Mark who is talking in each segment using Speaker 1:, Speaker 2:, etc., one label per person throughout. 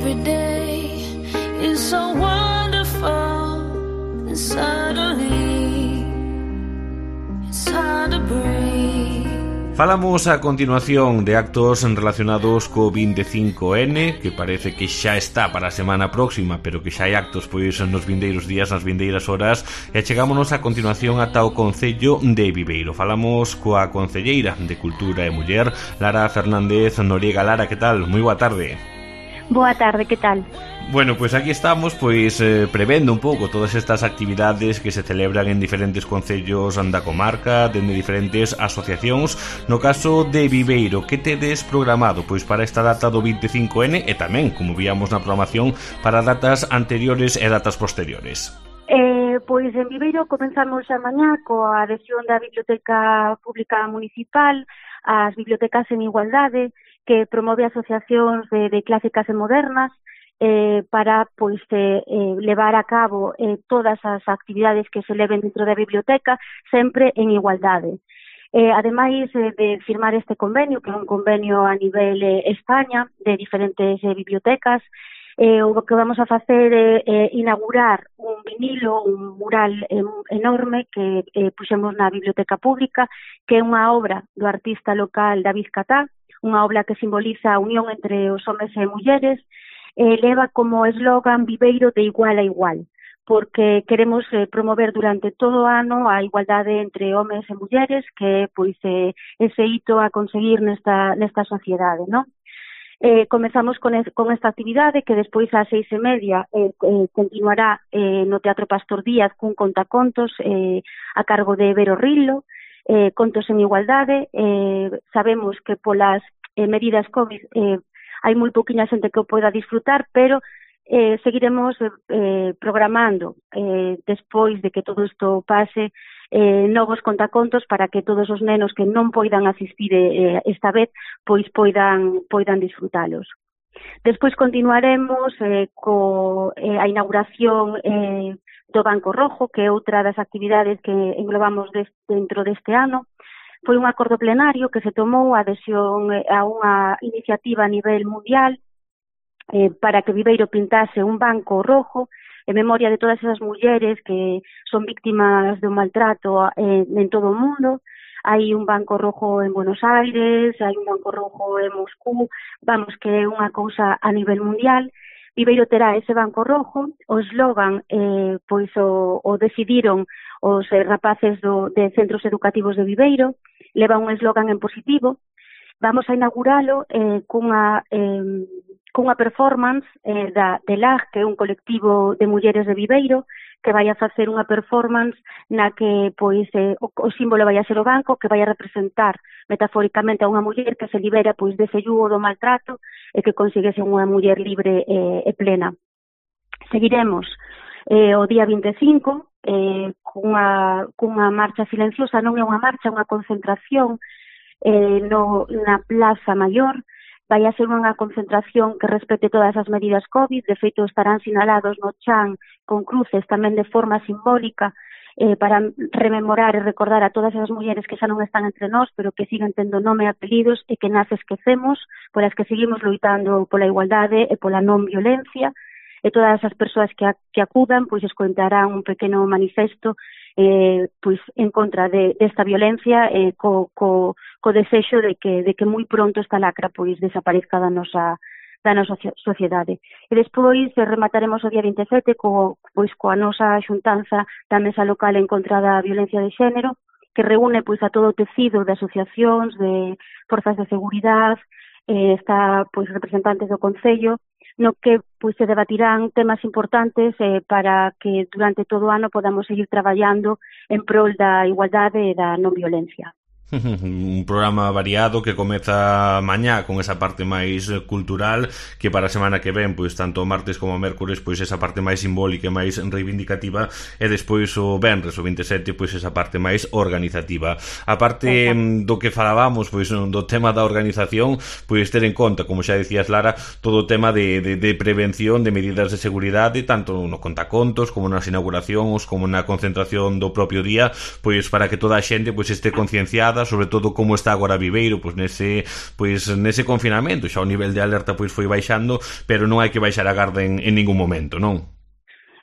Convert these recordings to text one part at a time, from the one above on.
Speaker 1: every day is so wonderful, and suddenly it's hard to breathe.
Speaker 2: Falamos a continuación de actos relacionados co 25N, que parece que xa está para a semana próxima, pero que xa hai actos pois nos vindeiros días, nas vindeiras horas, e chegámonos a continuación ata o Concello de Viveiro. Falamos coa concelleira de Cultura e Muller, Lara Fernández Noriega. Lara, que tal? Moi boa tarde.
Speaker 3: Boa tarde, que tal?
Speaker 2: Bueno, pois aquí estamos prevendo un pouco todas estas actividades que se celebran en diferentes concellos da comarca, dende diferentes asociacións. No caso de Viveiro, que tedes programado pois para esta data do 25N e tamén, como víamos na programación, para datas anteriores e datas posteriores?
Speaker 3: Pois en Viveiro comenzamos a mañá coa adhesión da Biblioteca Pública Municipal ás Bibliotecas en Igualdade, que promove asociacións de clásicas e modernas para levar a cabo todas as actividades que se leven dentro da biblioteca sempre en igualdade. Ademais de firmar este convenio, que é un convenio a nivel España de diferentes bibliotecas, o que vamos a facer é inaugurar un vinilo, un mural enorme que puxemos na Biblioteca Pública, que é unha obra do artista local David Catá, unha obra que simboliza a unión entre os homes e mulleres. Leva como eslogan Viveiro de igual a igual, porque queremos promover durante todo o ano a igualdade entre homes e mulleres, que é ese hito a conseguir nesta sociedade, non? Comezamos con esta actividade que despois ás 6:30 continuará no Teatro Pastor Díaz cun contacontos a cargo de Vero Rillo, contos en igualdade. Sabemos que polas medidas COVID hai moi pouquiña xente que o poida disfrutar, pero seguiremos programando despois de que todo isto pase novos contacontos para que todos os nenos que non poidan asistir esta vez pois poidan disfrutalos. Despois continuaremos a inauguración do Banco Rojo, que é outra das actividades que englobamos dentro deste ano. Foi un acordo plenario que se tomou a adhesión a unha iniciativa a nivel mundial para que Viveiro pintase un banco rojo en memoria de todas esas mulleres que son víctimas de un maltrato en todo o mundo. Hai un banco rojo en Buenos Aires, hai un banco rojo en Moscú, vamos, que é unha cousa a nivel mundial. Viveiro terá ese banco rojo, o eslogan o decidiron os rapaces de centros educativos de Viveiro, leva un eslogan en positivo. Vamos a inauguralo cunha performance de LAG, que é un colectivo de mulleres de Viveiro, que vai a facer unha performance na que o símbolo vai a ser o banco, que vai a representar metafóricamente a unha muller que se libera dese yugo do maltrato e que consigue ser unha muller libre e plena. Seguiremos o día 25 cunha marcha silenciosa, non é unha marcha, é unha concentración na Plaza Maior. Vai a ser unha concentración que respete todas as medidas COVID. De feito, estarán sinalados no chan con cruces tamén de forma simbólica para rememorar e recordar a todas as mulleres que xa non están entre nós, pero que siguen tendo nome e apelidos e que nas esquecemos, polas que seguimos loitando pola igualdade e pola non violencia. E todas as persoas que acudan escoitarán un pequeno manifesto en contra desta violencia, co desexo de que moi pronto esta lacra desaparezca da nosa sociedade. E despois remataremos o día 27 coa nosa xuntanza da Mesa Local en contra da violencia de xénero, que reúne a todo o tecido de asociacións, de forzas de seguridade, está representantes do Concello, no que se debatirán temas importantes para que durante todo o ano podamos seguir traballando en prol da igualdade e da non violencia.
Speaker 2: Un programa variado que comeza mañá con esa parte máis cultural, que para a semana que ven, tanto o martes como o mércores, esa parte máis simbólica e máis reivindicativa, e despois o venres, o 27, esa parte máis organizativa. A parte do que falábamos, do tema da organización, ter en conta, como xa decías, Lara, todo o tema de prevención, de medidas de seguridade, tanto no contacontos, como nas inauguracións, como na concentración do propio día, para que toda a xente este concienciada nada, sobre todo como está agora Viveiro, pois nese confinamento, xa o nivel de alerta pois foi baixando, pero non hai que baixar a garda en ningún momento, non?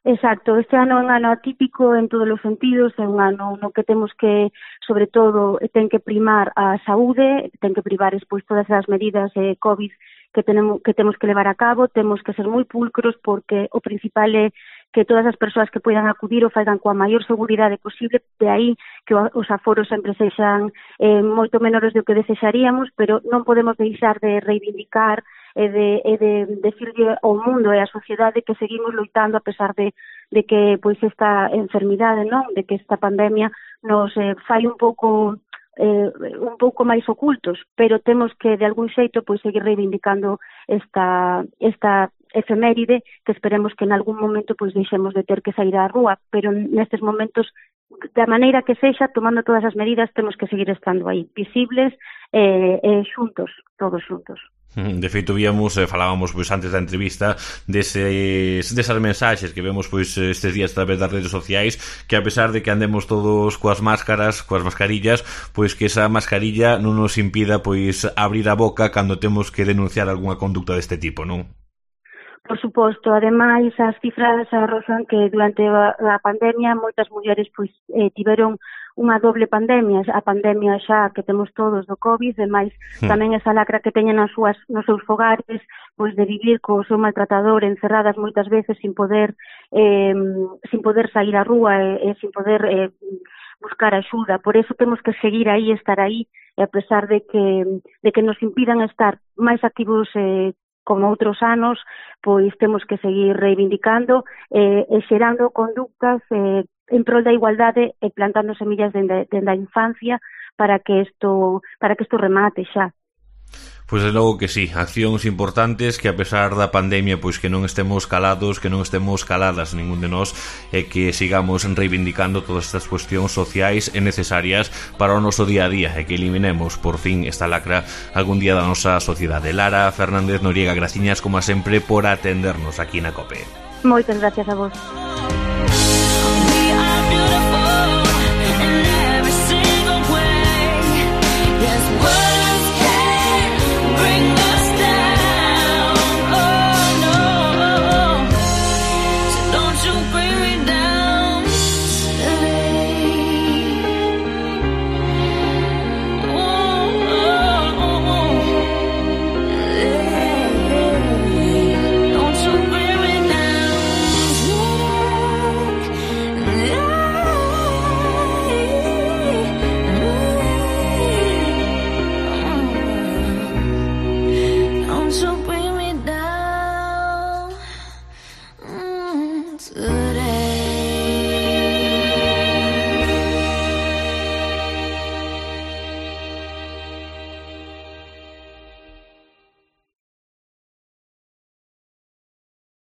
Speaker 3: Exacto, este ano é un ano atípico en todos os sentidos, é un ano no que temos que, sobre todo, ten que primar a saúde, ten que privar despois todas as medidas COVID que temos que levar a cabo, temos que ser moi pulcros porque o principal é que todas as persoas que poidan acudir o faigan coa maior seguridade posible, de aí que os aforos sempre sexan moito menores do que desexaríamos, pero non podemos deixar de reivindicar e de decirle ao mundo e á sociedade que seguimos loitando a pesar de que pois esta enfermidade, non, de que esta pandemia nos fai un pouco máis ocultos, pero temos que de algún xeito pois seguir reivindicando esta efeméride que esperemos que en algún momento pois deixemos de ter que sair á rúa, pero nestes momentos da maneira que sexa, tomando todas as medidas, temos que seguir estando aí, visibles e xuntos, todos xuntos.
Speaker 2: De feito, falábamos pois antes da entrevista desas mensaxes que vemos pois estes días a través das redes sociais, que a pesar de que andemos todos coas mascarillas, pois que esa mascarilla non nos impida pois abrir a boca cando temos que denunciar algunha conducta deste tipo, non?
Speaker 3: Por suposto, ademais as cifras arroxan que durante a pandemia moitas mulleres pois tiveron unha doble pandemia, a pandemia xa que temos todos do COVID, e máis tamén esa lacra que teñen nos seus fogares, pois de vivir co seu maltratador encerradas moitas veces sin poder sair á rúa e sin poder buscar axuda. Por eso temos que seguir aí, estar aí, e a pesar de que nos impidan estar máis activos como outros anos, pois temos que seguir reivindicando e xerando conductas en prol da igualdade e plantando semillas dende a infancia para que isto remate xa.
Speaker 2: Pois de logo que sí, accións importantes que a pesar da pandemia pois que non estemos calados, que non estemos caladas ningún de nós, e que sigamos reivindicando todas estas cuestións sociais e necesarias para o noso día a día e que eliminemos por fin esta lacra algún día da nosa sociedade. Lara Fernández Noriega, graciñas como sempre por atendernos aquí na COPE.
Speaker 3: Moitas gracias a vos.
Speaker 1: Good.